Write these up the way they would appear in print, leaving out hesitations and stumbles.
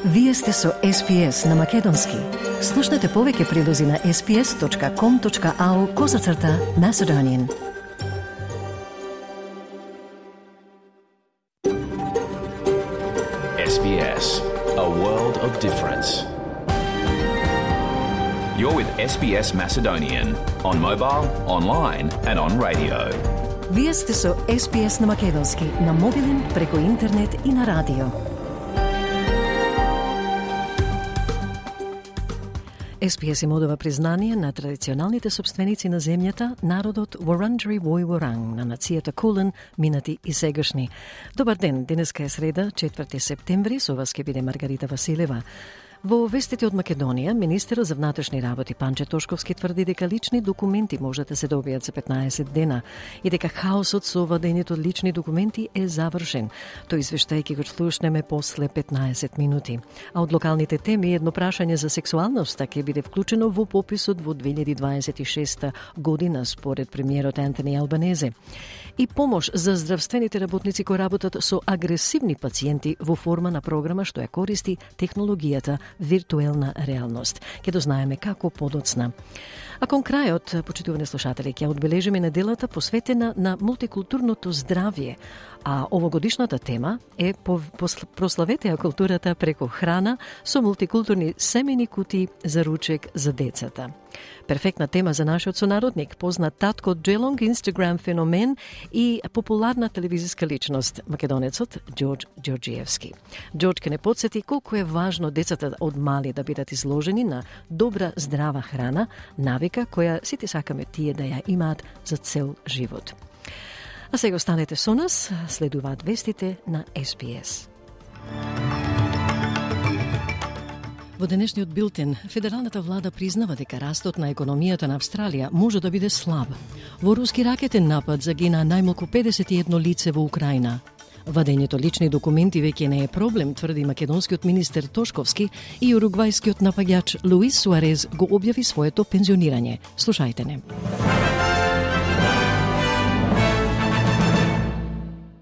Вие сте со SPS на Македонски. Слушнете повеќе прилози на sps.com.au/Macedonian. SBS, a world of difference. You're with SBS Macedonian on mobile, online and on radio. Вие сте со SPS на Македонски на мобилен, преку интернет и на радио. SPS им одава признание на традиционалните собственици на земјата, народот Вурунджери Вој-Вуранг на нацијата Кулен, минати и сегашни. Добар ден, денеска е среда, 4 септември, со вас ќе биде Маргарита Василева. Во вестите од Македонија, министерот за внатрешни работи Панче Тошковски тврди дека лични документи можат да се добијат за 15 дена и дека хаосот со вадењето од лични документи е завршен. Тој извештај ќе го слушнеме после 15 минути. А од локалните теми едно прашање за сексуалноста ќе биде вклучено во пописот во 2026 година според премиерот Антони Албанезе. И помош за здравствените работници кои работат со агресивни пациенти во форма на програма што ја користи технологијата виртуелна реалност. Ќе дознаеме како подоцна. А кон крајот, почитувани слушатели, ќе одбележиме неделата посветена на мултикултурното здравје, а овогодишната тема е прославете ја културата преку храна со мултикултурни семени кутии за ручек за децата. Перфектна тема за нашиот сонародник, познат татко Джелонг, Инстаграм феномен и популарна телевизиска личност, македонецот Ѓорѓ Ѓорѓиевски. Ѓорѓ ќе не подсети колку е важно децата од мали да бидат изложени на добра здрава храна, навика која сите сакаме тие да ја имаат за цел живот. А сега останете со нас, следуваат вестите на SPS. Во денешниот билтен, федералната влада признава дека растот на економијата на Австралија може да биде слаб. Во руски ракетен напад загина најмалку 51 лице во Украина. Вадењето лични документи веќе не е проблем, тврди македонскиот министер Тошковски, и уругвајскиот напаѓач Луис Суарез го објави своето пензионирање. Слушајте не.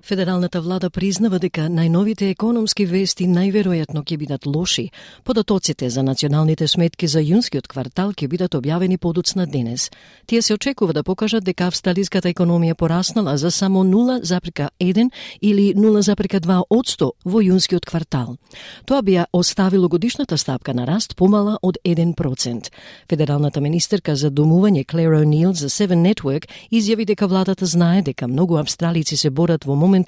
Федералната влада признава дека најновите економски вести најверојатно ќе бидат лоши. Податоците за националните сметки за јунскиот квартал ќе бидат објавени подоцна денес. Тие се очекува да покажат дека австралиската економија пораснала за само 0,1 или 0,2% во јунскиот квартал. Тоа би ја оставило годишната стапка на раст помала од 1%. Федералната министерка за домување Клер О'Нил за Seven Network изјави дека владата знае дека многу австралици се борат во моментов,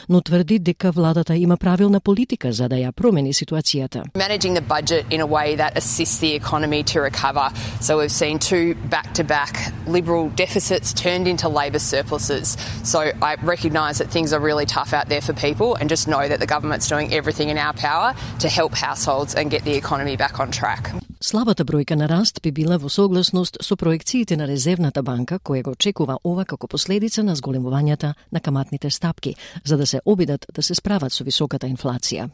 но тврди дека владата има правилна политика за да ја промени ситуацијата. Managing the budget in a way that assists the economy to recover. So we've seen two back-to-back Liberal deficits turned into Labor surpluses. So I recognise that things are really tough out there for people and just know that the government's doing everything in our power to help households and get the economy back on track. Слабата бројка на раст би била во согласност со проекциите на Резервната банка, која го очекува ова како последица на зголемувањата на каматните стапки, за да се обидат да се справат со високата инфлација.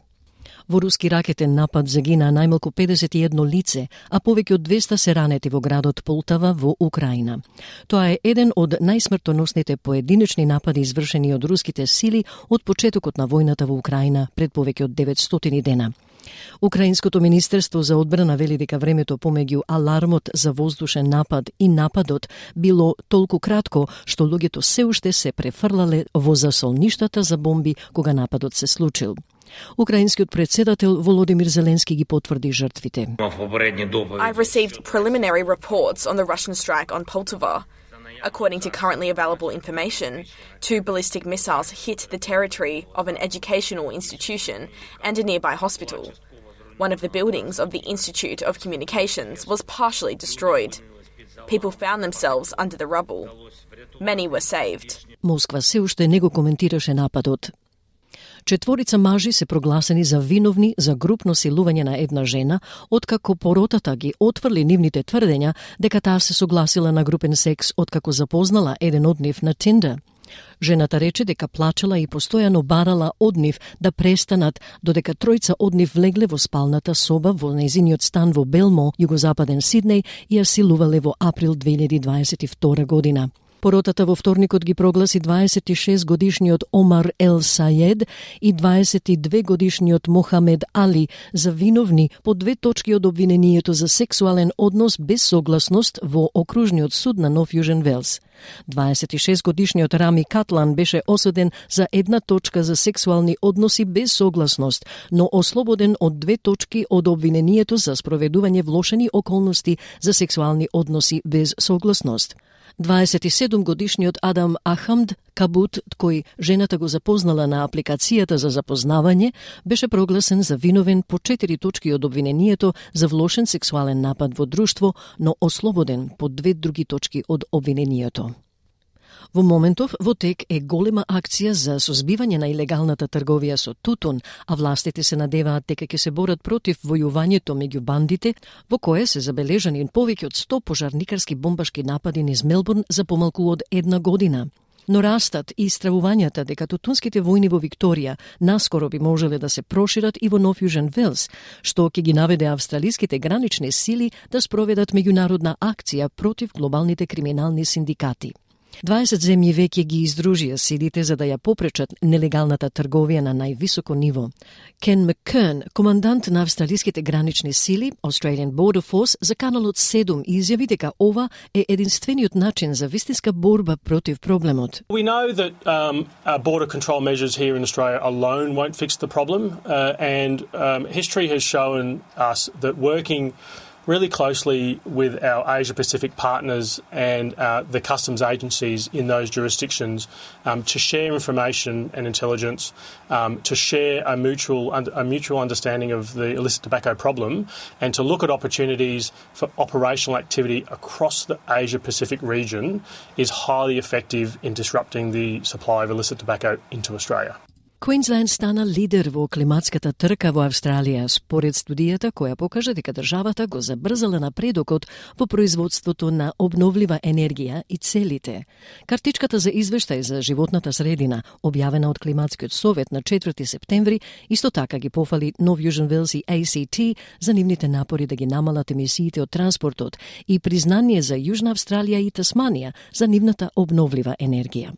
Во руски ракетен напад загина најмалку 51 лице, а повеќе од 200 се ранети во градот Полтава во Украина. Тоа е еден од најсмртоносните поединечни напади извршени од руските сили од почетокот на војната во Украина пред повеќе од 900 дена. Украинското министерство за одбрана вели дека времето помеѓу алармот за воздушен напад и нападот било толку кратко што луѓето се уште се префрлале во засолништата за бомби кога нападот се случил. Украинскиот председател Володимир Зеленски ги потврди жртвите. I've received preliminary reports on the Russian strike on Poltava. According to currently available information, 2 ballistic missiles hit the territory of an educational institution and a nearby hospital. One of the buildings of the Institute of Communications was partially destroyed. People found themselves under the rubble. Many were saved. Москва се уште не го коментираше нападот. 4 мажи се прогласени за виновни за групно силување на една жена, откако поротата ги отврли нивните тврдења дека таа се согласила на групен секс откако запознала еден од нив на Tinder. Жената рече дека плачела и постојано барала од нив да престанат, додека тројца од нив влегле во спалната соба во нејзиниот стан во Белмо, југозападен Сиднеј, и ја силувале во април 2022 година. Поротата во вторникот ги прогласи 26-годишниот Омар Ел Саед и 22-годишниот Мохамед Али за виновни по 2 точки од обвинението за сексуален однос без согласност во окружниот суд на Нов Јужен Велс. 26-годишниот Рами Катлан беше осуден за 1 точка за сексуални односи без согласност, но ослободен од 2 точки од обвинението за спроведување влошени околности за сексуални односи без согласност. 27-годишниот Адам Ахамд Кабут, кој жената го запознала на апликацијата за запознавање, беше прогласен за виновен по 4 точки од обвинението за влошен сексуален напад во друштво, но ослободен по 2 други точки од обвинението. Во моментов во тек е голема акција за созбивање на илегалната трговија со тутун, а властите се надеваат дека ќе се борат против војувањето меѓу бандите, во кое се забележани повеќе од 100 пожарникарски бомбашки напади низ Мелбурн за помалку од 1 година. Но растат и стравувањата дека тутунските војни во Викторија наскоро би можеле да се прошират и во Нов Јужен Велс, што ќе ги наведе австралиските гранични сили да спроведат меѓународна акција против глобалните криминални синдикати. 20 земји веќе ги издружија силите за да ја попречат нелегалната трговија на највисоко ниво. Кен Маккерн, командант на австралиските гранични сили, Australian Border Force, за каналот 7 изјави дека ова е единствениот начин за вистинска борба против проблемот. We know that border control measures here in Australia alone won't fix the problem, and history has shown us that working really closely with our Asia-Pacific partners and the customs agencies in those jurisdictions to share information and intelligence, to share a mutual understanding of the illicit tobacco problem, and to look at opportunities for operational activity across the Asia-Pacific region is highly effective in disrupting the supply of illicit tobacco into Australia. Квинсленд стана лидер во климатската трка во Австралија, според студијата која покажа дека државата го забрзала напредокот во производството на обновлива енергија и целите. Картичката за извештај за животната средина, објавена од Климатскиот совет на 4 септември, исто така ги пофали Нов Јужен Велс и ACT за нивните напори да ги намалат емисиите од транспортот и признание за Јужна Австралија и Тасманија за нивната обновлива енергија.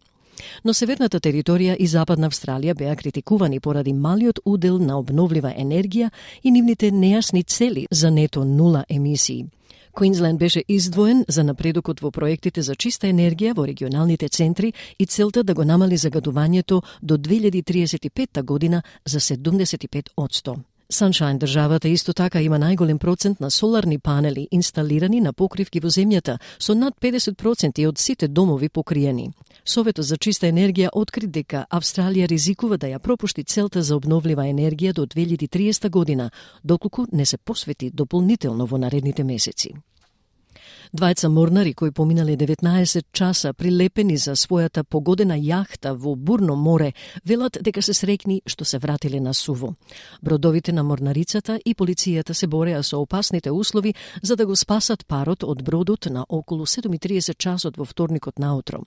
Но северната територија и западна Австралија беа критикувани поради малиот удел на обновлива енергија и нивните нејасни цели за нето нула емисии. Квинсленд беше издвоен за напредокот во проектите за чиста енергија во регионалните центри и целта да го намали загадувањето до 2035 година за 75%. Sunshine државата исто така има најголем процент на соларни панели инсталирани на покривки во земјата, со над 50% од сите домови покриени. Советот за чиста енергија откри дека Австралија ризикува да ја пропушти целта за обновлива енергија до 2030 година, доколку не се посвети дополнително во наредните месеци. Двајца морнари кои поминале 19 часа прилепени за својата погодена јахта во бурно море велат дека се среќни што се вратиле на суво. Бродовите на морнарицата и полицијата се бореа со опасните услови за да го спасат парот од бродот на околу 7:30 часот во вторникот наутро.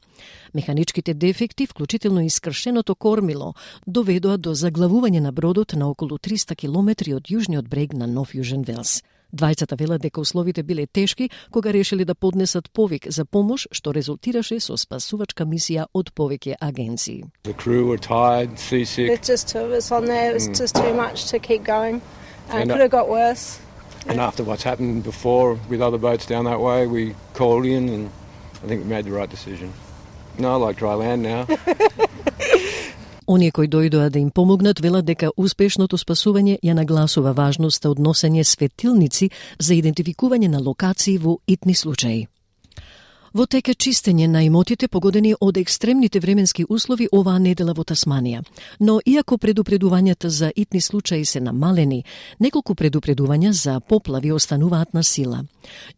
Механичките дефекти, вклучително и скршеното кормило, доведоа до заглавување на бродот на околу 300 километри од јужниот брег на Нов Јужен Велс. Двајцата велат дека условите биле тешки кога решили да поднесат повик за помош, што резултираше со спасувачка мисија од повеќе агенции. The crew were tired, seasick. It's just two of us on there. It was just too much to keep going. It could have got worse. And after what's happened before with other boats down that way, we called in and I think we made the right decision. No, I like dry land now. Оние кои дојдоа да им помогнат велат дека успешното спасување ја нагласува важноста од носење светилници за идентификување на локации во итни случаи. Во тека чистење на имотите погодени од екстремните временски услови оваа недела во Тасманија. Но иако предупредувањата за итни случаи се намалени, неколку предупредувања за поплави остануваат на сила.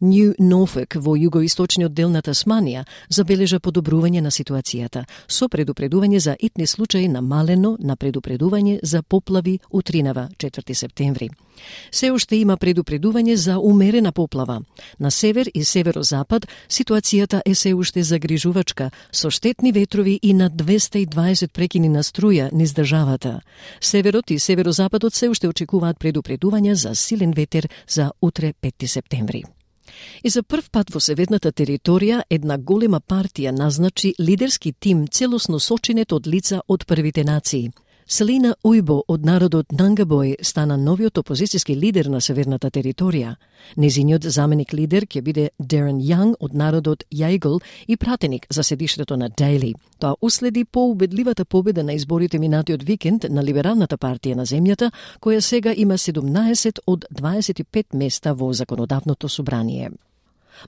Нью Норфолк во југоисточниот дел на Тасманија забележа подобрување на ситуацијата, со предупредување за итни случаи намалено на предупредување за поплави утринава 4 септември. Се уште има предупредување за умерена поплава. На север и северозапад ситуацијата е се уште загрижувачка, со штетни ветрови и на 220 прекини на струја низ државата. Северот и северозападот се уште очекуваат предупредувања за силен ветер за утре 5 септември. И за прв пат во северната територија една голема партија назначи лидерски тим целосно сочинет од лица од првите нации. Селина Ујбо од народот Нангабој стана новиот опозицијски лидер на северната територија. Незиниот заменик лидер ќе биде Дарен Јанг од народот Јајгл и пратеник за седиштето на Дейли. Тоа уследи поубедливата победа на изборите минатиот викенд на Либералната партија на земјата, која сега има 17 од 25 места во законодавното собрание.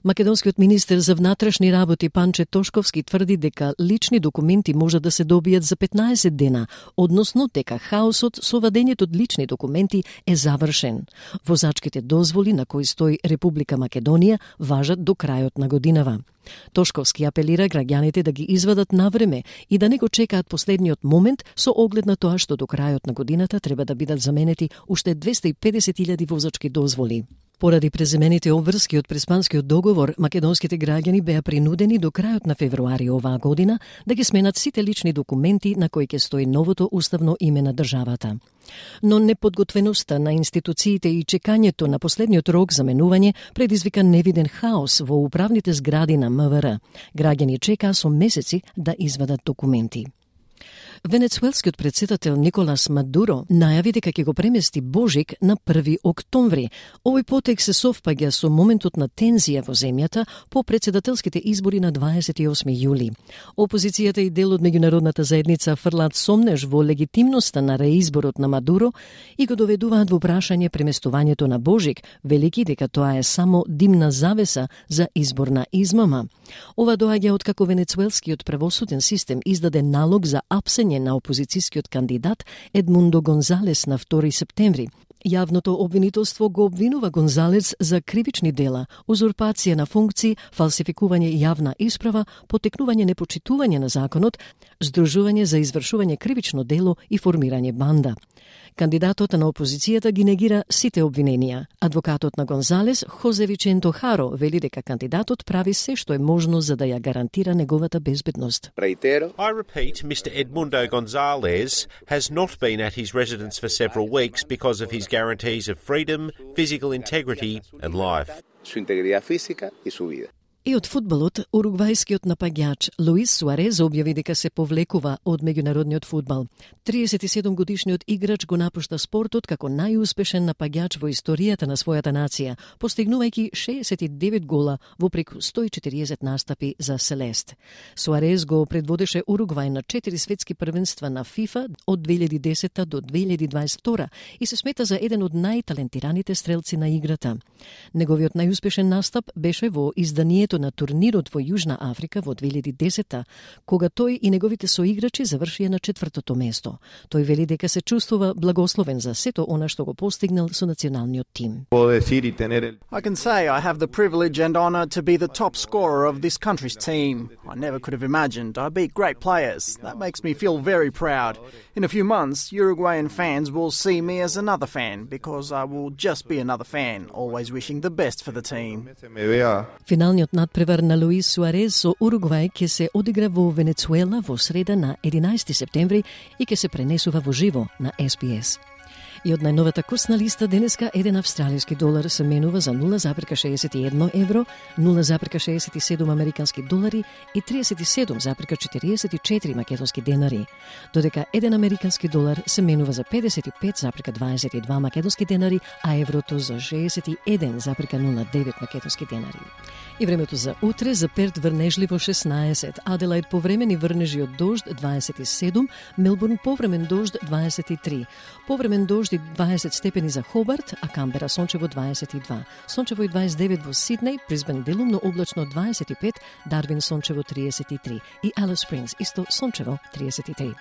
Македонскиот министер за внатрешни работи Панче Тошковски тврди дека лични документи може да се добијат за 15 дена, односно дека хаосот со вадењето од лични документи е завршен. Возачките дозволи на кои стои Република Македонија важат до крајот на годинава. Тошковски апелира граѓаните да ги извадат навреме и да не го чекаат последниот момент со оглед на тоа што до крајот на годината треба да бидат заменети уште 250.000 возачки дозволи. Поради преземените обврски од Преспанскиот договор, македонските граѓани беа принудени до крајот на февруари оваа година да ги сменат сите лични документи на кои ќе стои новото уставно име на државата. Но неподготвеноста на институциите и чекањето на последниот рок за менување предизвика невиден хаос во управните згради на МВР. Граѓани чекаа со месеци да извадат документи. Венецуелскиот претседател Николас Мадуро најави дека ќе го премести Божик на 1 октомври. Овој потек се совпаѓа со моментот на тензија во земјата по претседателските избори на 28 јули. Опозицијата и дел од меѓународната заедница фрлаат сомнеж во легитимноста на реизборот на Мадуро и го доведуваат во прашање преместувањето на Божик, велики дека тоа е само димна завеса за изборна измама. Ова доаѓа откако венецуелскиот правосуден систем издаде налог за апсење на опозицијскиот кандидат Едмундо Гонзалес на 2 септември. Јавното обвинителство го обвинува Гонзалес за кривични дела, узурпација на функции, фалсификување јавна исправа, потекнување непочитување на законот, здружување за извршување кривично дело и формирање банда. Кандидатот на опозицијата ги негира сите обвиненија. Адвокатот на Гонзалес, Хозе Виченто Харо, вели дека кандидатот прави се што е можно за да ја гарантира неговата безбедност. I repeat, Mr. Edmundo Gonzalez has not been at his residence for several weeks because of his guarantees of freedom, physical integrity and life. Su integridad física y su vida. И од фудбалот, уругвајскиот напаѓач Луис Суарез објави дека се повлекува од меѓународниот фудбал. 37-годишниот играч го напушта спортот како најуспешен напаѓач во историјата на својата нација, постигнувајќи 69 гола во преку 140 настапи за Селест. Суарез го предводеше Уругвај на 4 светски првенства на ФИФА од 2010 до 2022 и се смета за еден од најталентираните стрелци на играта. Неговиот најуспешен настап беше во изданието на турнирот во Јужна Африка во 2010, кога тој и неговите соиграчи завршија на 4-то место. Тој вели дека се чувствува благословен за сето она што го постигнал со националниот тим. I can say I have the privilege and honor to be the top scorer of this country's team. I never could have imagined I beat great players. That makes me feel very proud. In a few months, Uruguayan fans will see me as another fan because I will just be another fan, always wishing the best for the team. Финалниот надпревар на Луис Суарез со Уругвај ќе се одигра во Венецуела во среда на 11 септември и ќе се пренесува во живо на SBS. И од најновата курсна листа денеска еден австралиски долар се менува за 0,61 евро, 0,67 американски долари и 37,44 македонски денари, додека еден американски долар се менува за 55,22 македонски денари, а еврото за 61,09 македонски денари. И времето за утре: за Перт врнежливо 16, Аделаид повремени врнежи од дожд 27, Мелбурн повремен дожд 23, повремен дожд и 20 степени за Хобарт, а Камбера сончево 22, сончево и 29 во Сиднеј, Брисбен делумно облачно 25, Дарвин сончево 33 и Алис Спрингс исто сончево 33.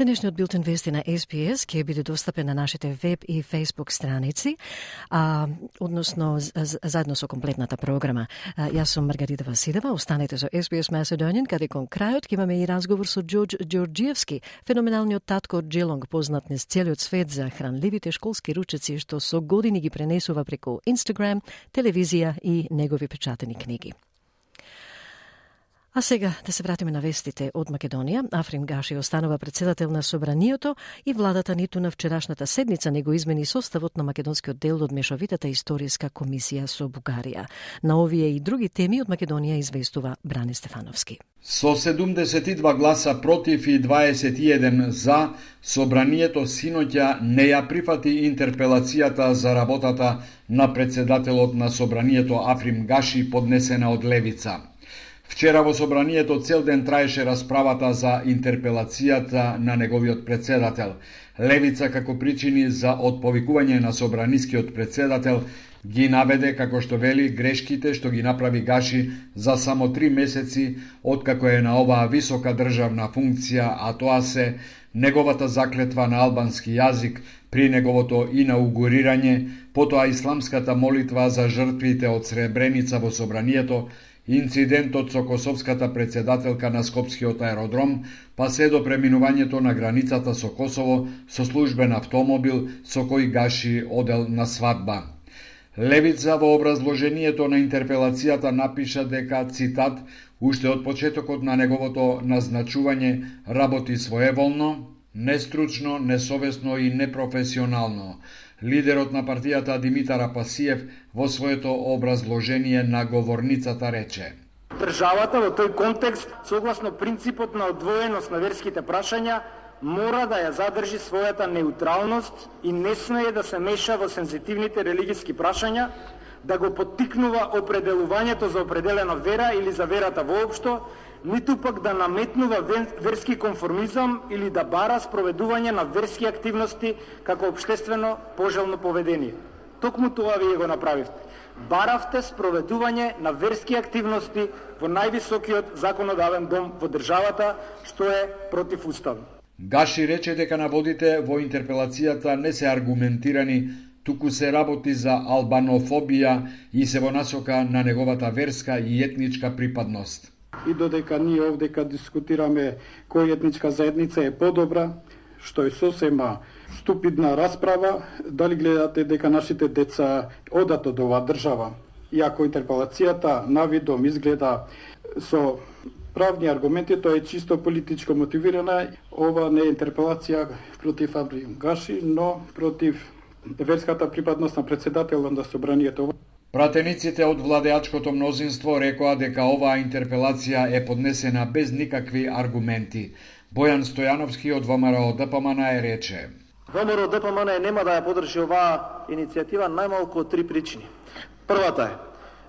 Денешниот билтен вести на SBS ќе биде достапен на нашите веб и Facebook страници, односно заедно со комплетната програма. Јас сум Маргарита Василева, останете со SBS Macedonian, каде кон крајот ќе имаме и разговор со Џорџ Ѓорџиевски, феноменалниот татко од Джелонг, познат низ целиот свет за хранливите школски ручеци што со години ги пренесува преку Instagram, телевизија и негови печатени книги. А сега да се вратиме на вестите од Македонија. Африм Гаши останува председател на Собранието и владата ниту на вчерашната седница него измени составот на македонскиот дел од мешовитата историска комисија со Бугарија. На овие и други теми од Македонија известува Бране Стефановски. Со 72 гласа против и 21 за, Собранието синоќа не ја прифати интерпелацијата за работата на председателот на Собранието Африм Гаши поднесена од Левица. Вчера во Собранието цел ден траеше расправата за интерпелацијата на неговиот председател. Левица како причини за отповикување на собранискиот председател ги наведе, како што вели, грешките што ги направи Гаши за само 3 месеци откако е на оваа висока државна функција, а тоа се неговата заклетва на албански јазик при неговото инаугурирање, потоа исламската молитва за жртвите од Сребреница во Собранието, инцидентот со косовската председателка на Скопскиот аеродром, па се до преминувањето на границата со Косово со службен автомобил со кој Гаши одел на свадба. Левица во образложението на интерпелацијата напиша дека, цитат, уште од почетокот на неговото назначување работи своеволно, нестручно, несовесно и непрофесионално. Лидерот на партијата Димитар Апасиев во своето образложение на говорницата рече: Државата во тој контекст, согласно принципот на одвоеност на верските прашања, мора да ја задржи својата неутралност и не смее да се меша во сензитивните религиски прашања, да го поттикнува определувањето за определена вера или за верата воопшто, ниту пак да наметнува верски конформизам или да бара спроведување на верски активности како општествено пожелно поведение. Токму тоа вие го направивте. Баравте спроведување на верски активности во највисокиот законодавен дом во државата, што е противуставно. Гаши рече дека наводите во интерпелацијата не се аргументирани, туку се работи за албанофобија и се во насока на неговата верска и етничка припадност. И додека ние овдека дискутираме која етничка заедница е подобра, што е сосема ступидна расправа, дали гледате дека нашите деца одат од оваа држава. Иако интерпелацијата навидом изгледа со правни аргументи, тоа е чисто политичко мотивирана. Ова не е интерпелација против Африм Гаши, но против верската припадност на председателот на Собранието. Пратениците од владеачкото мнозинство рекоа дека оваа интерпелација е поднесена без никакви аргументи. Бојан Стојановски од ВМРО ДПМН рече: ВМРО ДПМН нема да ја подржи оваа иницијатива најмалку од 3 причини. Првата е,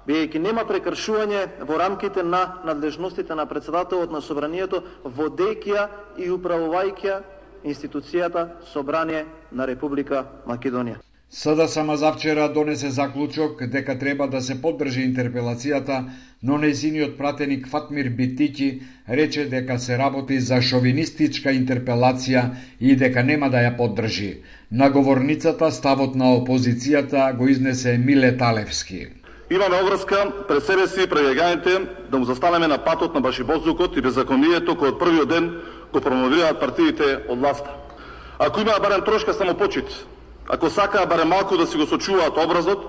бидејќи нема прекршување во рамките на надлежностите на председателот на Собранието, водејќи ја и управувајќи институцијата Собрание на Република Македонија. СДСМ завчера донесе заклучок дека треба да се поддржи интерпелацијата, но нејзиниот пратеник Фатмир Битики рече дека се работи за шовинистичка интерпелација и дека нема да ја поддржи. На говорницата ставот на опозицијата го изнесе Миле Талевски. Имаме обврска пред себе си пред граѓаните да му застанеме на патот на башибозлукот и беззаконието кој од првиот ден го промовираат партиите од власта. Ако има барем трошка самопочит, ако сакаа барем малку да си го сочуваат образот,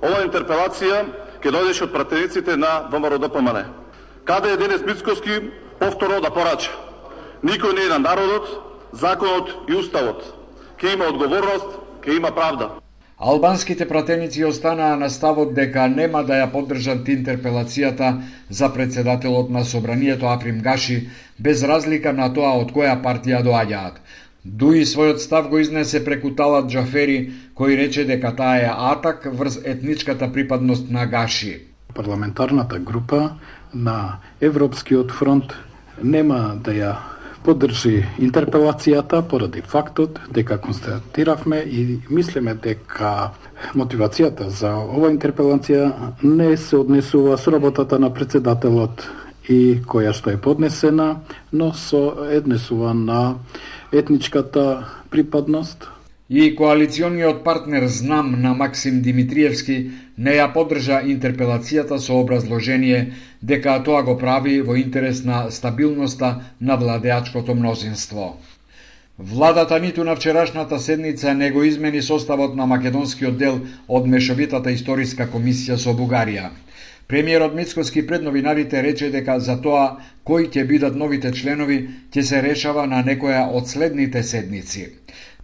оваа интерпелација ќе дојдеше од пратениците на ВМРО ДПМН. Каде е Денис Мицкоски повторно да порача? Никој не е на народот, законот и уставот. Ке има одговорност, ке има правда. Албанските пратеници останаа на ставот дека нема да ја поддржат интерпелацијата за председателот на Собранието Африм Гаши, без разлика на тоа од која партија доаѓаат. Дуи својот став го изнесе преку Талат Џафери, кој рече дека таа е атак врз етничката припадност на Гаши. Парламентарната група на Европскиот фронт нема да ја поддржи интерпелацијата поради фактот дека констатиравме и мислиме дека мотивацијата за ова интерпелација не се однесува со работата на председателот и која што е поднесена, но со однесува на етничката припадност. И коалициониот партнер ЗНАМ на Максим Димитриевски не ја поддржа интерпелацијата со образложение дека тоа го прави во интерес на стабилноста на владеачкото мнозинство. Владата ниту на вчерашната седница не го измени составот на македонскиот дел од Мешовитата историска комисија со Бугарија. Премиерот Мицкоски пред новинарите рече дека за тоа кои ќе бидат новите членови ќе се решава на некоја од следните седници.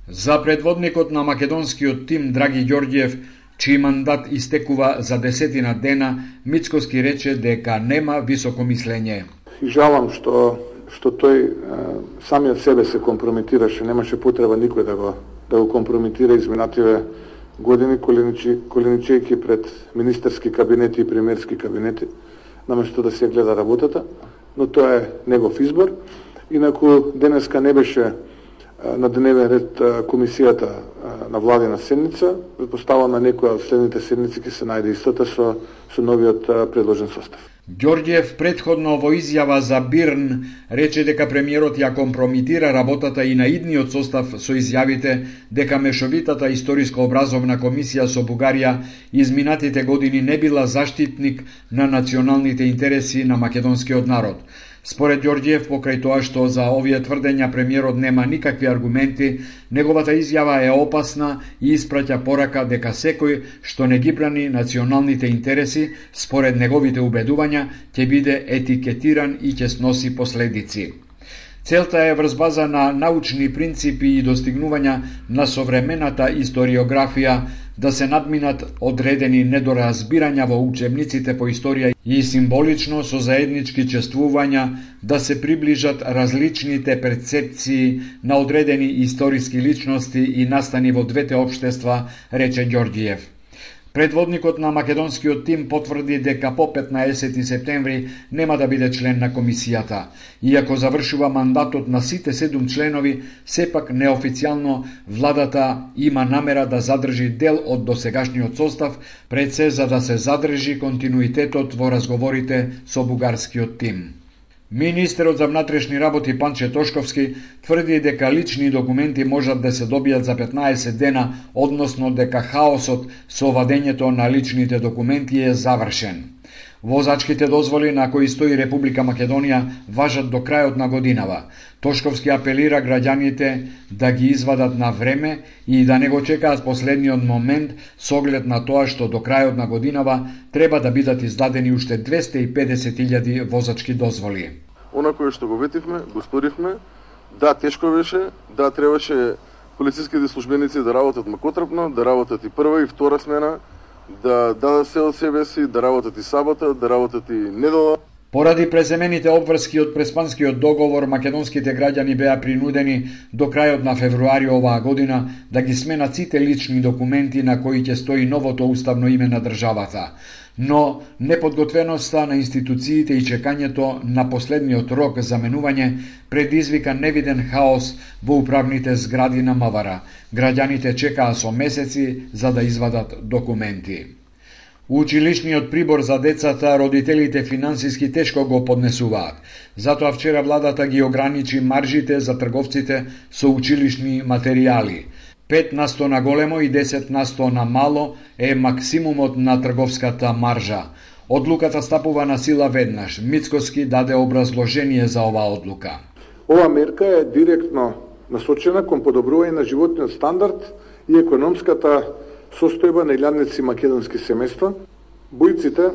За предводникот на македонскиот тим Драги Ѓорѓиев, чиј мандат истекува за 10 дена, Мицкоски рече дека нема високо мислење. И жалам што тој самиот себе се компрометираше, немаше потреба никој да го компрометира изминативе години, коленичејќи пред министерски кабинети и премиерски кабинети, наместо да се гледа работата, но тоа е негов избор. Инаку денеска не беше на дневен ред комисијата на владина седница, предпоставам на некоја од следните седници ќе се најде истата со новиот предложен состав. Ѓорѓиев претходно во изјава за Бирн рече дека премиерот ја компромитира работата и на идниот состав со изјавите дека Мешовитата историска образовна комисија со Бугарија изминатите години не била заштитник на националните интереси на македонскиот народ. Според Ѓорѓиев, покрај тоа што за овие тврдења премиерот нема никакви аргументи, неговата изјава е опасна и испраќа порака дека секој што не ги брани националните интереси, според неговите убедувања, ќе биде етикетиран и ќе сноси последици. Целта е врз база на научни принципи и достигнувања на современата историографија да се надминат одредени недоразбирања во учебниците по историја и символично со заеднички чествувања да се приближат различните перцепции на одредени историски личности и настани во двете општества, рече Ѓорѓиев. Предводникот на македонскиот тим потврди дека по 15 септември нема да биде член на комисијата. Иако завршува мандатот на сите 7 членови, сепак неофицијално владата има намера да задржи дел од досегашниот состав, пред се за да се задржи континуитетот во разговорите со бугарскиот тим. Министерот за внатрешни работи Панче Тошковски тврди дека лични документи можат да се добијат за 15 дена, односно дека хаосот со вадењето на личните документи е завршен. Возачките дозволи на кои стои Република Македонија важат до крајот на годинава. Тошковски апелира граѓаните да ги извадат на време и да не го чекаат последниот момент со оглед на тоа што до крајот на годинава треба да бидат издадени уште 250.000 возачки дозволи. Она кое што го ветивме, го сторивме, да, тешко беше, да, требаше полициските службеници да работат макотрапно, да работат и прва и втора смена, да дадат се од себе си, да работат и сабота, да работат и недела. Поради преземените обврски од Преспанскиот договор, македонските граѓани беа принудени до крајот на февруари оваа година да ги сменат сите лични документи на кои ќе стои новото уставно име на државата. Но неподготвеноста на институциите и чекањето на последниот рок за менување предизвика невиден хаос во управните згради на МВР. Граѓаните чекаа со месеци за да извадат документи. Училишниот прибор за децата родителите финансиски тешко го поднесуваат. Затоа вчера владата ги ограничи маржите за трговците со училишни материјали. 5% на големо и 10% на мало е максимумот на трговската маржа. Одлуката стапува на сила веднаш. Мицкоски даде образложение за оваа одлука. Ова мерка е директно насочена кон подобрување на животниот стандард и економската состојба на илјадници македонски семејства. Бујците,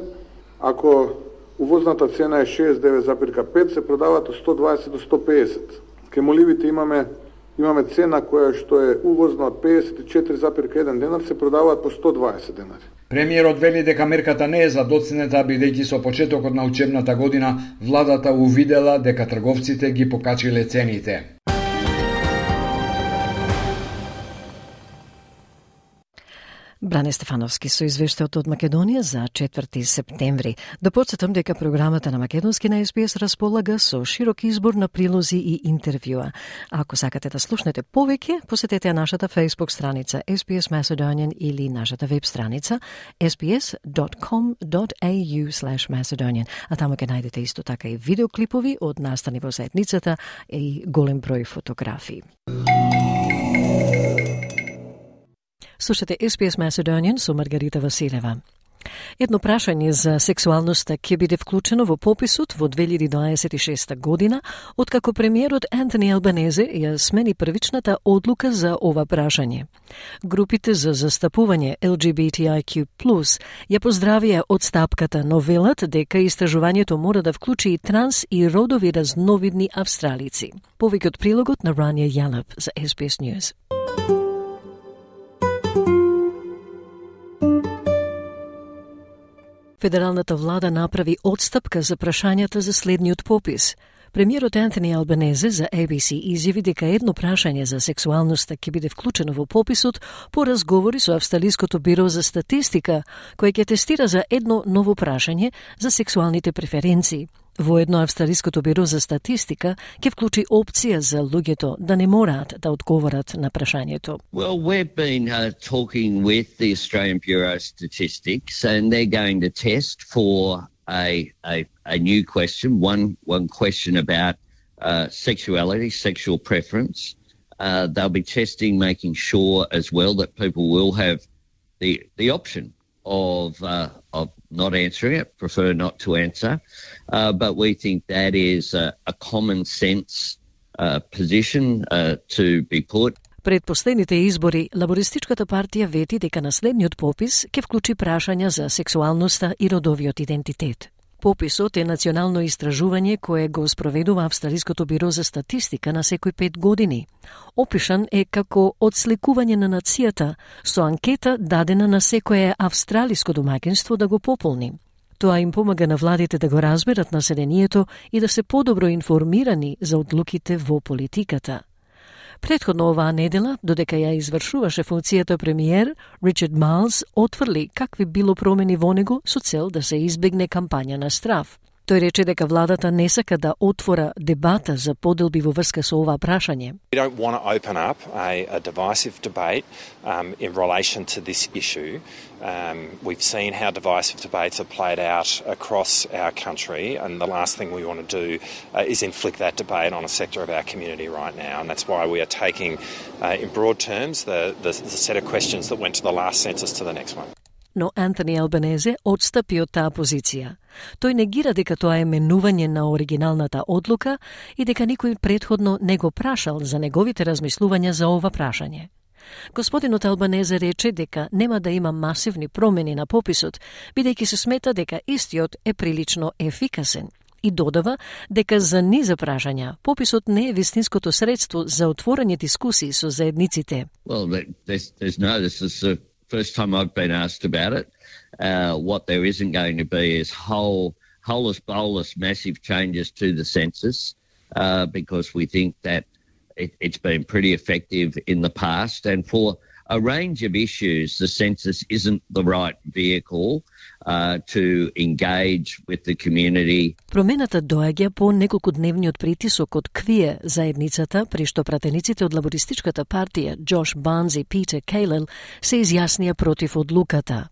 ако увозната цена е 69,5, се продаваат од 120 до 150. Кемоливите имаме цена која што е увозна од 54,1 денар, се продаваат по 120 денари. Премиерот вели дека мерката не е задоцнета, бидејќи со почетокот на учебната година владата увидела дека трговците ги покачиле цените. Бране Стефановски со извештајот од Македонија за 4 септември. Да потсетам дека програмата на македонски на СПС располага со широк избор на прилози и интервјуа. Ако сакате да слушнете повеќе, посетете нашата Facebook страница SPS Macedonian или нашата веб страница sps.com.au/Macedonian. А таму ќе најдете исто така и видеоклипови од настани во заедницата и голем број фотографии. Слушате SPS Macedonian со Маргарита Василева. Едно прашање за сексуалноста ќе биде вклучено во пописот во 2026 година, откако премиерот Антони Албанезе ја смени првичната одлука за ова прашање. Групите за застапување LGBTIQ+, ја поздравија одстапката, но велат дека истражувањето мора да вклучи и транс и родови разновидни австралици. Повеќе од прилогот на Рания Јалап за SBS News. Федералната влада направи одстапка за прашањата за следниот попис. Премиерот Антони Албанезе за ABC изјави дека едно прашање за сексуалноста ќе биде вклучено во пописот по разговори со Австралиското биро за статистика, кој ќе тестира за едно ново прашање за сексуалните преференции. Воедно Австралиското биро за статистика ќе вклучи опција за луѓето да не мораат да одговорат на прашањето. Well, we've been talking with the Australian Bureau of Statistics, and they're going to test for a new question, one question about sexuality, sexual preference. They'll be testing, making sure as well that people will have the option of not answering it, prefer not to answer. But we think that is a common sense position to be put. Пред последните избори, Лабористичката партија вети дека на следниот попис ќе вклучи прашања за сексуалноста и родовиот идентитет. Пописот е национално истражување кое го спроведува Австралиското биро за статистика на секој 5 години. Опишан е како одсликување на нацијата со анкета дадена на секое австралиско домаќинство да го пополни. Тоа им помага на владите да го разберат населението и да се подобро информирани за одлуките во политиката. Претходно оваа недела, додека ја извршуваше функцијата премиер, Ричард Майлс отфрли какви било промени во него со цел да се избегне кампања на страв. Тој рече дека владата не сака да отвора дебата за поделби во врска со ова прашање. We don't want to open up a divisive debate in relation to this issue. We've seen how divisive debates have played out across our country, and the last thing we want to do is inflict that debate on a sector of our community right now, and that's why we are taking, in broad terms, the set of questions that went to the last census to the next one. Но Антони Албанезе одстапи од таа позиција. Тој негира дека тоа е менување на оригиналната одлука и дека никој претходно не го прашал за неговите размислувања за ова прашање. Господинот Албанезе рече дека нема да има масивни промени на пописот, бидејќи се смета дека истиот е прилично ефикасен. И додава дека за низа прашања пописот не е вистинското средство за отворање дискусии со заедниците. Well, this is the first time I've been asked about it. What there isn't going to be is holus bolus massive changes to the census because we think that it's been pretty effective in the past, and for a range of issues the census isn't the right vehicle to engage with the community. Промената доаѓа по неколкудневниот притисок од КВИЕ заедницата, при што пратениците од Лабористичката партија Джош Барнс и Питер Кейлел се изјаснија против одлуката.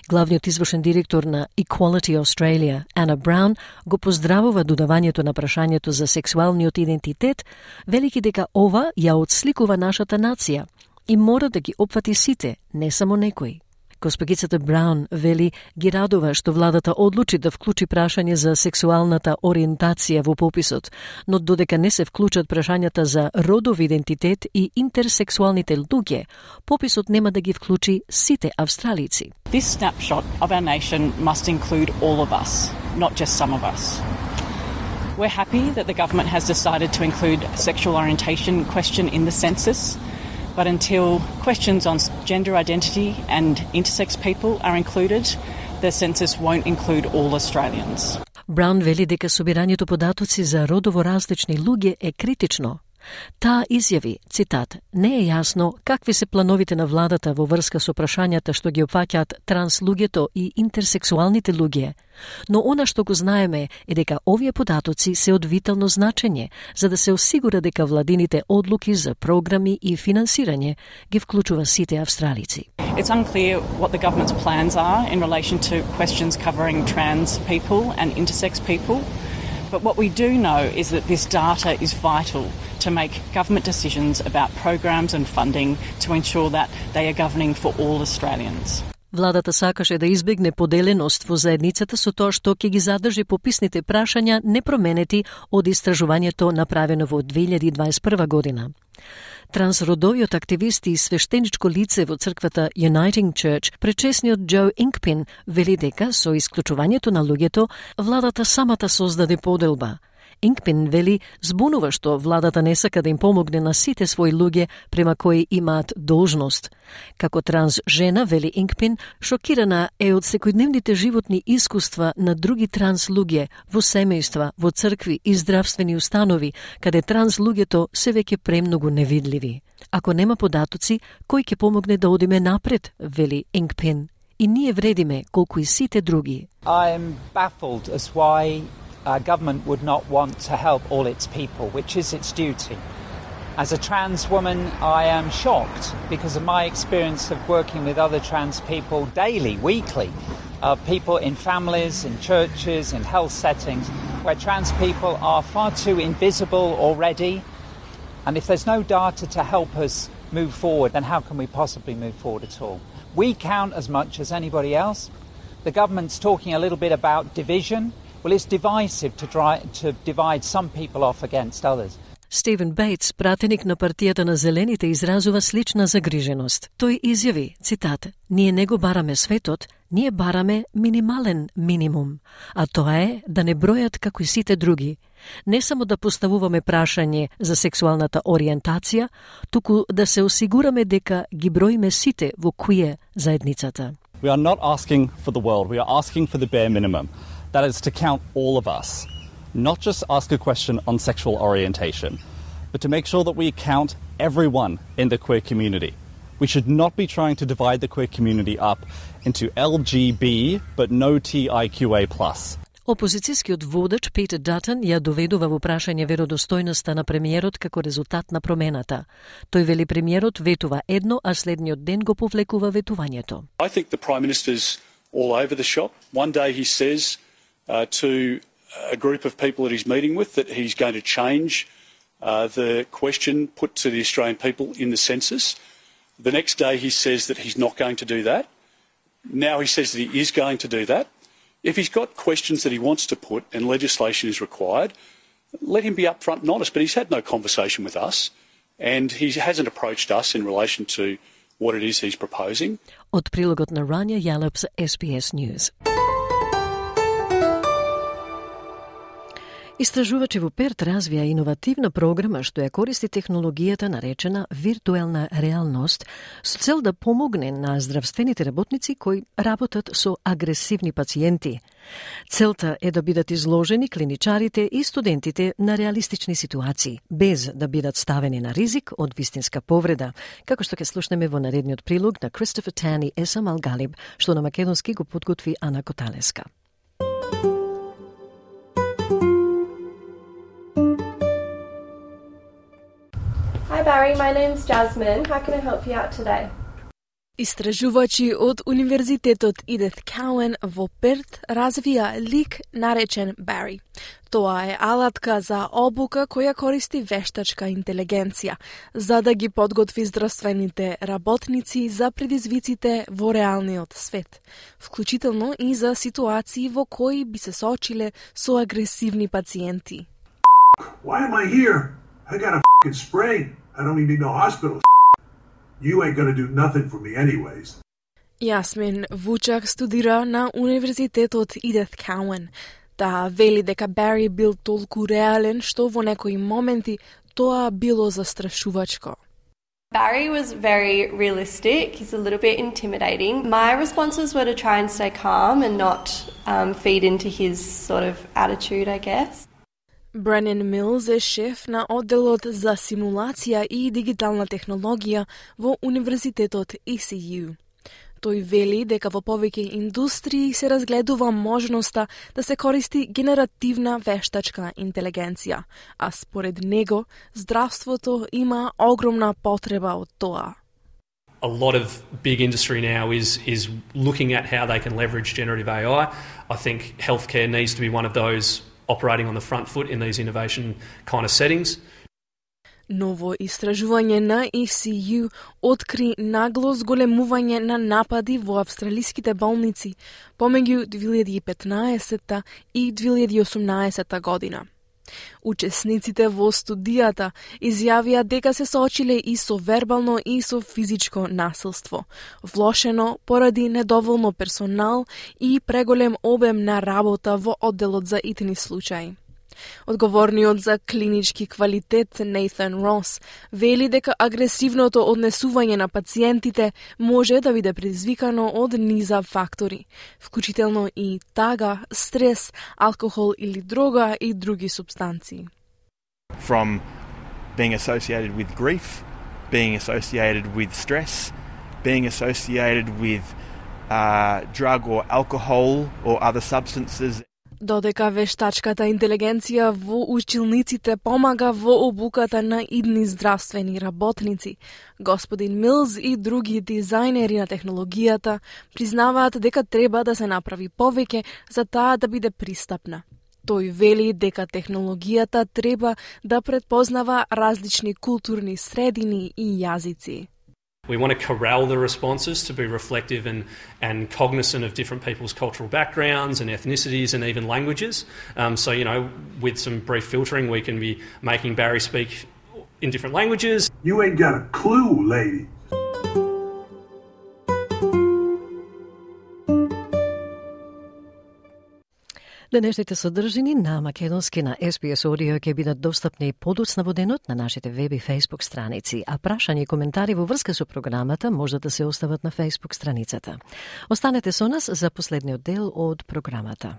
Главниот извршен директор на Equality Australia, Anna Brown, го поздравува додавањето на прашањето за сексуалниот идентитет, велики дека ова ја отсликува нашата нација и мора да ги опфати сите, не само некои. Госпогицата Браун вели ги радува што владата одлучи да вклучи прашање за сексуалната ориентација во пописот, но додека не се вклучат прашањата за родов идентитет и интерсексуалните луѓе, пописот нема да ги вклучи сите австралици. This snapshot of our nation must include all of us, not just some of us. We're happy that the government has decided to include a sexual orientation question in the census. But until questions on gender identity and intersex people are included, the census won't include all Australians. Браун вели дека собирањето податоци за родово различни луѓе е критично. Таа изјави, цитат, не е јасно какви се плановите на владата во врска со прашањата што ги опфаќаат транслуѓето и интерсексуалните луѓе, но она што го знаеме е дека овие податоци се од витално значење за да се осигура дека владините одлуки за програми и финансирање ги вклучува сите австралици. It's unclear what the government's plans are in relation to questions covering trans people and intersex people. But what we do know is that this data is vital to make government decisions about programs and funding to ensure that they are governing for all Australians. Владата сакаше да избегне поделеност во заедницата со тоа што ќе ги задржи пописните прашања непроменети од истражувањето направено во 2021 година. Трансродовиот активист и свештеничко лице во црквата Uniting Church, пречесниот Джо Инкпин, вели дека со исклучувањето на луѓето, владата самата создаде поделба. Инкпин вели збунува што владата не сака да им помогне на сите своји луѓе према кои имаат должност. Како транс жена, вели Инкпин, шокирана е од секојдневните животни искуства на други транс луѓе во семејства, во цркви и здравствени установи, каде транс луѓето се веќе премногу невидливи. Ако нема податоци, кој ќе помогне да одиме напред, вели Инкпин. И ние вредиме колку и сите други. I am baffled as why government would not want to help all its people, which is its duty. As a trans woman, I am shocked because of my experience of working with other trans people daily, weekly, people in families, in churches, in health settings, where trans people are far too invisible already. And if there's no data to help us move forward, then how can we possibly move forward at all? We count as much as anybody else. The government's talking a little bit about division. Well, it's divisive to divide some people off against others. Стивен Бейтс, пратеник на партијата на Зелените, изразува слична загриженост. Тој изјави, цитат, ние не го бараме светот, ние бараме минимален минимум, а тоа е да не бројат како и сите други. Не само да поставуваме прашање за сексуалната ориентација, туку да се осигураме дека ги броиме сите во куе заедницата. We are not asking for the world, we are asking for the bare minimum. That is to count all of us, not just ask a question on sexual orientation, but to make sure that we count everyone in the queer community. We should not be trying to divide the queer community up into LGB, but no TIQA+. Опозицијскиот водач Питер Датон ја доведува во прашање веродостојноста на премиерот како резултат на промената. Тој вели премиерот ветува едно, а следниот ден го повлекува ветувањето. I think the Prime Minister's all over the shop. One day he says to a group of people that he's meeting with that he's going to change the question put to the Australian people in the census. The next day he says that he's not going to do that. Now he says that he is going to do that. If he's got questions that he wants to put and legislation is required, let him be upfront and honest. But he's had no conversation with us and he hasn't approached us in relation to what it is he's proposing. Од прилогот на Rania Yallop за SBS News. Истражувачи во Перт развија иновативна програма што ја користи технологијата наречена виртуелна реалност со цел да помогне на здравствените работници кои работат со агресивни пациенти. Целта е да бидат изложени клиничарите и студентите на реалистични ситуации, без да бидат ставени на ризик од вистинска повреда, како што ќе слушнеме во наредниот прилог на Кристофер Тан и Есам Алгалиб, што на македонски го подготви Ана Коталеска. Hi Barry, my name's Jasmine. How can I help you out today? Истражувачи од Универзитетот Edith Cowan во Перт развија лик наречен Barry. Тоа е алатка за обука која користи вештачка интелигенција, за да ги подготви здравствените работници за предизвиците во реалниот свет, вклучително и за ситуации во кои би се соочиле со агресивни пациенти. Why am I here? I got a f***ing sprain. I don't even need no hospital. You ain't gonna do nothing for me anyways. Јасмин Вучак студира на Универзитетот Edith Cowan. Таа вели дека Бари бил толку реален што во некои моменти тоа било застрашувачко. Barry was very realistic. He's a little bit intimidating. My responses were to try and stay calm and not feed into his sort of attitude, I guess. Brennan Mills е шеф на одделот за симулација и дигитална технологија во Универзитетот ECU. Тој вели дека во повеќе индустрии се разгледува можноста да се користи генеративна вештачка интелигенција, а според него здравството има огромна потреба од тоа. A lot of big industry now is looking at how they can leverage generative AI. I think healthcare needs to be one of those operating on the front foot in these innovation kind of settings. Ново истражување на ECU откри нагло зголемување на напади во австралиските болници помеѓу 2015 и 2018 година. Учесниците во студијата изјавија дека се соочиле и со вербално и со физичко насилство, влошено поради недоволно персонал и преголем обем на работа во одделот за итни случаи. Одговорниот за клинички квалитет Нейтан Рос вели дека агресивното однесување на пациентите може да биде предизвикано од низа фактори, вклучително и тага, стрес, алкохол или дрога и други супстанции. From being associated with grief, being associated with stress, being associated with drug or alcohol or other substances. Додека вештачката интелигенција во училниците помага во обуката на идни здравствени работници, господин Милз и други дизајнери на технологијата признаваат дека треба да се направи повеќе за таа да биде пристапна. Тој вели дека технологијата треба да предпознава различни културни средини и јазици. We want to corral the responses to be reflective and cognizant of different people's cultural backgrounds and ethnicities and even languages. So, with some brief filtering, we can be making Barry speak in different languages. You ain't got a clue, lady. Денешните содржини на македонски на SBS Audio ќе бидат достапни подоцна во денот на нашите веб и Facebook страници, а прашања и коментари во врска со програмата може да се остават на Facebook страницата. Останете со нас за последниот дел од програмата.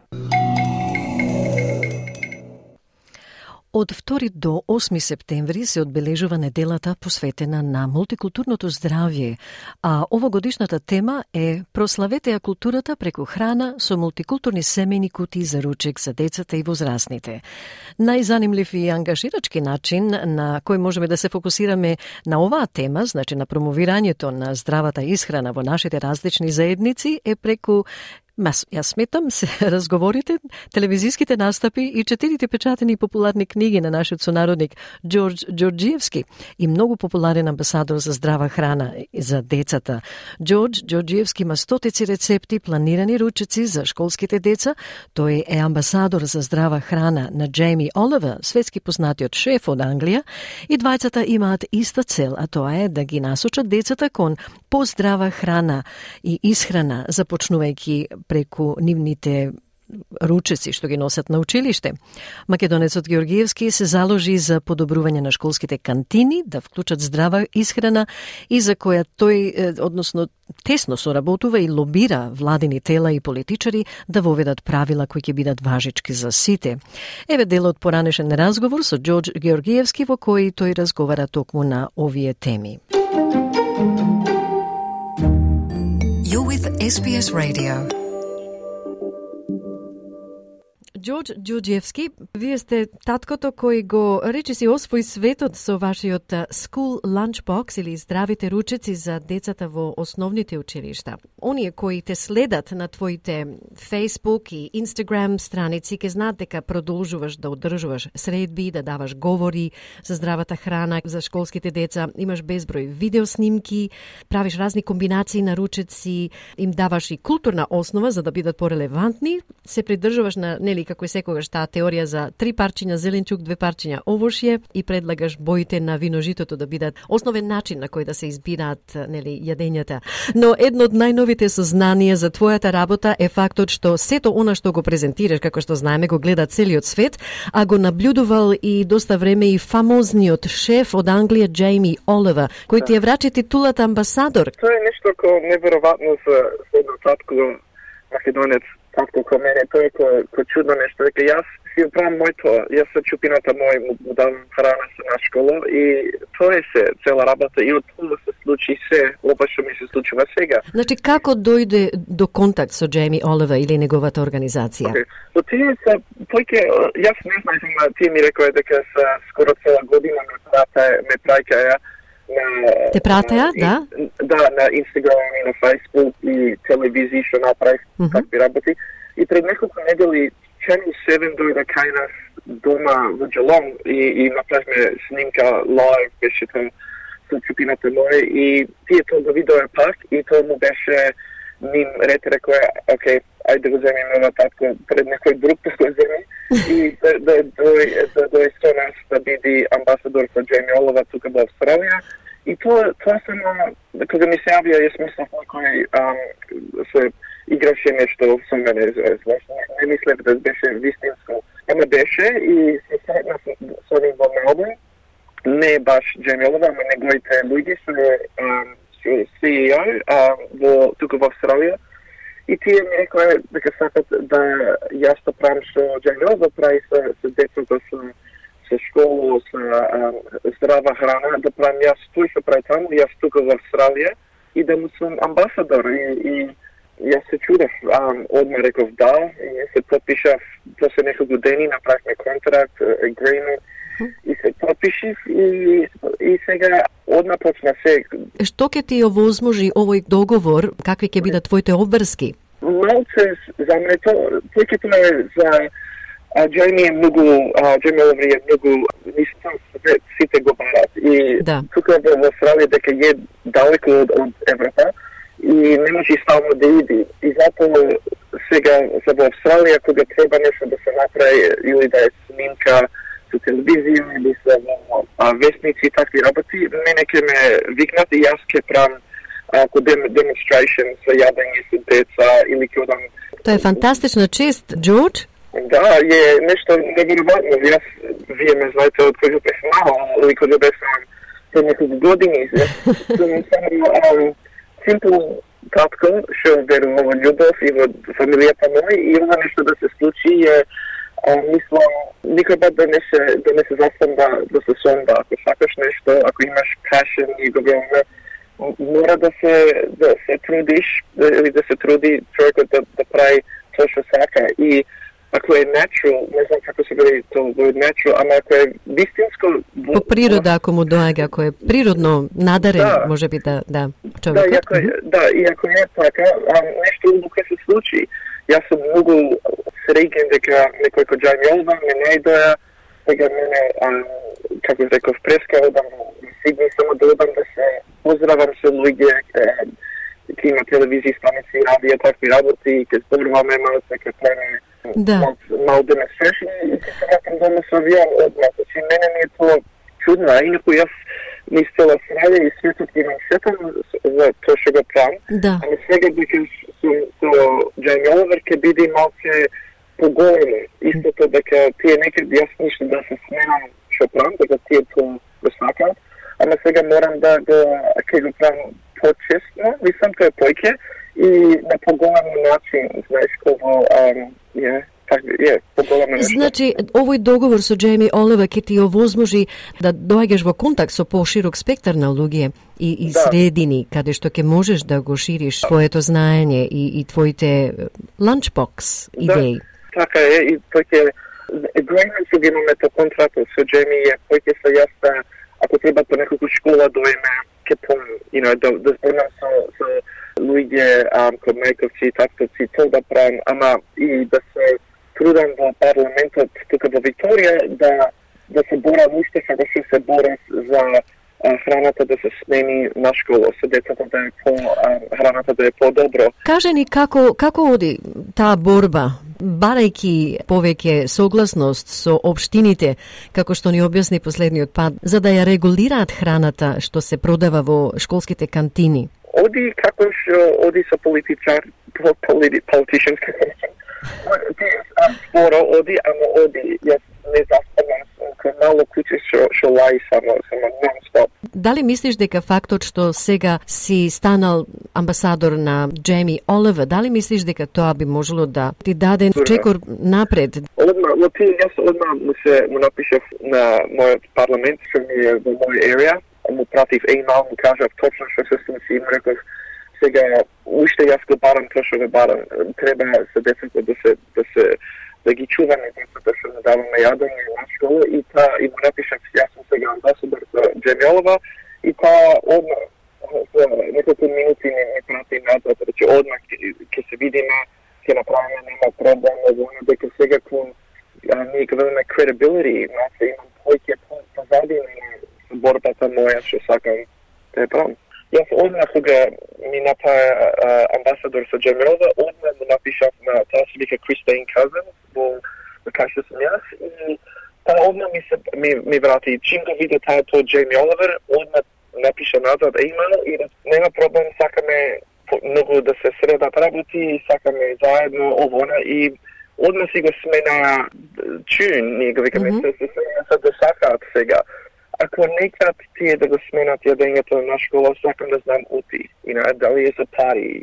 Од 2 до 8 септември се одбележува неделата посветена на мултикултурното здравје, а овогодишната тема е прославете ја културата преку храна со мултикултурни семејни кутии за ручек за децата и возрастните. Најзанимлив и ангажирачки начин на кој можеме да се фокусираме на оваа тема, значи на промовирањето на здравата исхрана во нашите различни заедници, е преку јас сметам се разговорите, телевизиските настапи и 4 печатени популарни книги на нашиот сонародник Ѓорѓ Ѓорѓиевски и многу популарен амбасадор за здрава храна за децата. Ѓорѓ Ѓорѓиевски има стотици рецепти, планирани ручеци за школските деца. Тој е амбасадор за здрава храна на Джейми Оливер, светски познатиот шеф од Англија, и двајцата имаат иста цел, а тоа е да ги насочат децата кон поздрава храна и исхрана, започнувајќи преку нивните ручеци што ги носат на училиште. Македонецот Ѓорѓиевски се заложи за подобрување на школските кантини, да вклучат здрава исхрана и за која тој, односно, тесно соработува и лобира владини тела и политичари да воведат правила кои ќе бидат важички за сите. Еве дел од поранешен разговор со Ѓорѓ Ѓорѓиевски во кој тој разговара токму на овие теми. You're with SBS Radio. Ѓорѓ Ѓорѓиевски, вие сте таткото кој го речиси освои светот со вашиот School Lunchbox или здравите ручеци за децата во основните училишта. Оние кои те следат на твоите Facebook и Instagram страници ке знаат дека продолжуваш да одржуваш средби, да даваш говори за здравата храна за школските деца, имаш безброј видеоснимки, правиш разни комбинации на ручеци, им даваш и културна основа за да бидат порелевантни, се придржуваш на како и секогаш таа теорија за 3 парчиња зеленчук, 2 парчиња овошје и предлагаш боите на виножитото да бидат основен начин на кој да се избираат јадењата. Но едно од најновите сознанија за твојата работа е фактот што сето она што го презентираш, како што знаеме, го гледа целиот свет, а го наблюдувал и доста време и фамозниот шеф од Англија Джейми Оливер, кој ти ја врачи титулата амбасадор. Тоа е нешто како неверојатно за едно татко македонец. татко ко мене, тоа е ко чудно нешто, дека јас си оправам моето, јас со чупината мој му давам храна со на школа и тоа е се, цела работа и од тоа се случи се, ова што ми се случува сега. Значи, како дојде до контакт со Джейми Оливер или неговата организација? So, тие се, јас не знајам, тие ми рекоа дека се скоро цела година ме праќаја на... Те пратеа, да? Да, на Instagram и на Facebook и телевизија што направив, такви работи. И пред неколку недели Channel 7 дојде кај нас дома во Geelong и направивме снимка лайв, беше тоа со чупината моја и тие тоа го видоа пак и тоа му беше ним ред рекоа, окей, ајде да го земем ова татко пред некој друг да го земи и да дојде со нас да биде амбасадор со Джейми Оливер тука во Австралија. И тоа само, кога ми се јавија, јас мислев некој се играше нешто со мене, не мислев да беше вистинско. Ама беше и се сретна со ним во Мелбурн, не баш Джейми Оливер, ама неговите луѓе со CEO тука во Австралија. И тие ми рекоа дека сакат да јас да правам со Джейми Оливер, прави со децата со школа, со здрава храна, да правам јас тој што прави таму, јас тука во Австралија и да му сум амбасадор и јас се чудев, одма реков да, и се подпишав после неколку дени, направивме контракт, agreement, и се подпишив и сега одма почна се. Што ќе ти овозможи овој договор, какви ќе бидат твоите обврски? Малце за мене тој ќе тоа за Джейми е многу, Джейми Оливер е многу, сите го барат и тука во Австралија дека е далеко од Европа и не може стално да иди. И затоа сега за во Австралија кога треба нешто да се направи или да е снимка со телевизија или со вестници и такви работи, мене ќе ме викнат и јас ќе правам ако demonstration со јадење со деца или ќе одам. Тоа е фантастична чест, Джордж. Да, е нешто неверојатно. Јас, вие ме знаете од кога бев мал, или кога бев пред неколку години. Сум само симпл татко, што верува во љубов и во фамилијата моја и ова нешто да се случи е, мислам, никој пат да не се застан да се сонда. Ако сакаш нешто, ако имаш passion и го веруваме, мора да се трудиш, или да се труди човекот да прави тоа што сака и ако е natural, не знам како се говори тоа natural, ама ако е вистинско... По природа, ако му доаѓа, ако е природно надарен, може би човекот. И ако е така, нешто ќе се случи. Јас сум многу среќен дека некој кој Джейми Оливер ме најдоја, сега мене, како реков, преска одам во Сидни, само да одам да се поздравам со луѓе, ќе има телевизија, станици, радија, такви работи, ќе зборуваме малце, ќе правиме мал демонстрација и ќе се вратам дома со авион одмah. Значи, мене ми е тоа чудно, а инако јас низ цела Австралија и светот ги сетам за тоа што го правам. Ама сега дека со Джейми Оливер ќе биде малце поголемо. Истото дека тие некаде јас ништо да се сменам што правам, дека тие тоа го сакаат, ама сега морам да ќе го правам почестно, мислам тоа е појќе и на поголем начин, знаеш, кој Значи, овој договор со Джейми Оливер ќе ти овозможи да доаѓаш во контакт со поширок спектар на луѓе и средини, каде што ќе можеш да го шириш своето знаење и твоите lunchbox идеи. Така е, и тој ќе agreement што ги имаме тоа контракт со Джейми е тој ќе се јас ако треба по неколку школа дојме ќе да зборам со луѓе, кој мајковци, татковци, тоа да правам, ама и да се трудам во парламентот тука во Викторија да се борам уште како што се борам за храната да се смени на школа, со децата да е храната да е по-добро. Кажи ни како оди таа борба, барајќи повеќе согласност со општините, како што ни објасни последниот пат, за да ја регулираат храната што се продава во школските кантини? Оди како што оди со politicians, споро оди, ама оди. Јас не заспавам вакво мало куќе што лаи само нон-стоп. Дали мислиш дека фактот што сега си станал амбасадор на Джейми Оливер, дали мислиш дека тоа би можело да ти даде чекор напред? Јас одма му напишав на мојот парламент, што ми е во мој area, му пратив имейл, му кажав точно што се случи и му реков сега уште јас го барам тоа што го барам. Треба се децата да ги чуваме децата што не даваме јадење на школа и му напишав јас сум сега амбасадор за Джейми Оливер и одма за неколку минути не прати назад, рече одма ќе се видиме, ќе направиме, нема проблем, дека сега кон ние ќе имаме credibility, имам повеќе позади на борбата моја што сакам да ја правам. Јас одма кога ми направи амбасадор со Джейми Оливер, одма му напишав на таа се вика Кристин Казен, во кај што сум јас и таа одма ми врати. Чим го виде таа тоа Джейми Оливер, одма напиша назад имейл и нема проблем, сакаме многу да се средат работи и сакаме заедно овона и одма си го смена чун, ние го викаме се смена да сакаат сега. Ако некад тие да го сменат јадењето на школа, сакам да знам ути. Дали е за пари,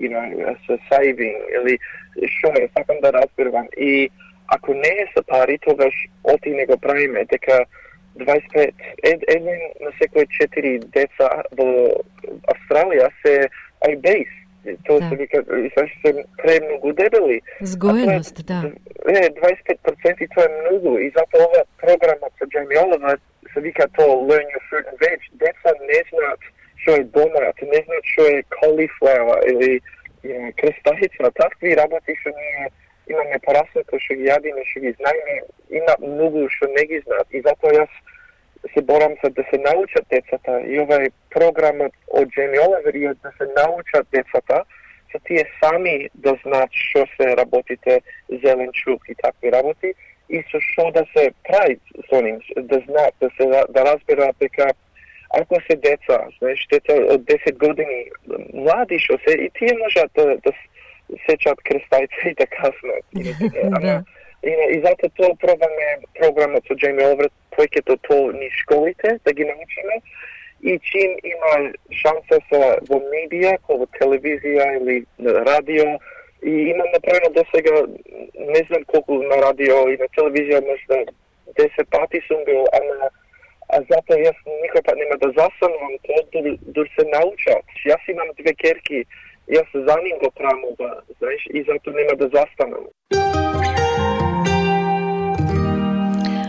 за saving, или шо е, сакам да разбирам. И ако не е за пари, тогаш оти не го правиме, дека 25, еден на секој 4 деца во Австралија се obese. Тоа се вика, се премногу дебели. Згоеност, да. 25% тоа е многу и затоа ова програмот со Джейми Оливер се вика тоа Learn Your Fruit and Veg. Деца не знаат што е домат, не знаат што е cauliflower или крестахица. Такви работи што ние имаме пораснато, што ги јадиме, што ги знаеме, има многу што не ги знаат. И затоа јас се борам за да се научат децата и овај програмот од Джейми Оливер е да се научат децата за тие сами да знаат што се работите зеленчук и такви работи и со што да се прави со ним, да знаат, да разберат дека ако се деца, знаеш, деца од 10 години, млади што се, и тие можат да сечат крестајца и да каснат. И затоа тоа пробаме програмот со Джейми Оливер, повеќето тоа ни школите, да ги научиме, и чим има шанса во медија, во телевизија или на радио, и имам направено до сега, не знам колку на радио и на телевизија, можда 10 пати сум бил, а затоа јас никој пат нема да застанувам, тоа дури се научат. Јас имам 2 керки, јас за ним го правам ова, знаеш, и затоа нема да застанам.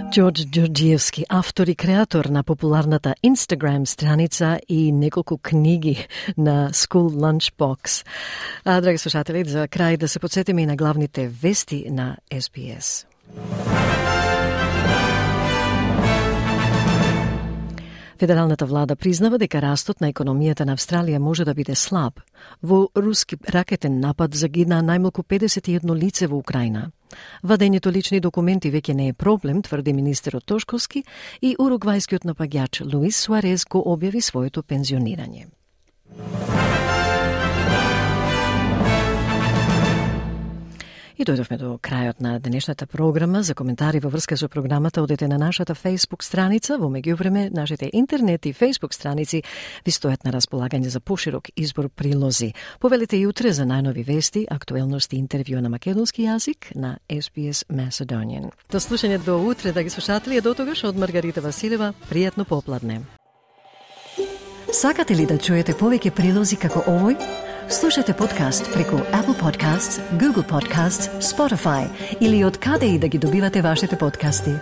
Ѓорѓ Ѓорѓиевски, автор и креатор на популарната Instagram страница и неколку книги на School Lunchbox. Драги слушатели, за крај да се подсетиме и на главните вести на SBS. Федералната влада признава дека растот на економијата на Австралија може да биде слаб. Во руски ракетен напад загина најмалку 51 лице во Украина. Вадењето лични документи веќе не е проблем, тврди министерот Тошковски, и уругвајскиот напаѓач Луис Суарез го објави своето пензионирање. И дојдовме до крајот на денешната програма. За коментари во врска со програмата одете на нашата Facebook страница. Во меѓувреме, нашите интернет и Facebook страници ви стојат на располагање за поширок избор прилози. Повелете и утре за најнови вести, актуелности и интервју на македонски јазик на SBS Macedonian. До слушање до утре, драги слушатели, до тогаш од Маргарита Василева, пријатно попладне. Сакате ли да чуете повеќе прилози како овој? Слушате подкаст преку Apple Podcasts, Google Podcasts, Spotify или од каде и да ги добивате вашите подкасти.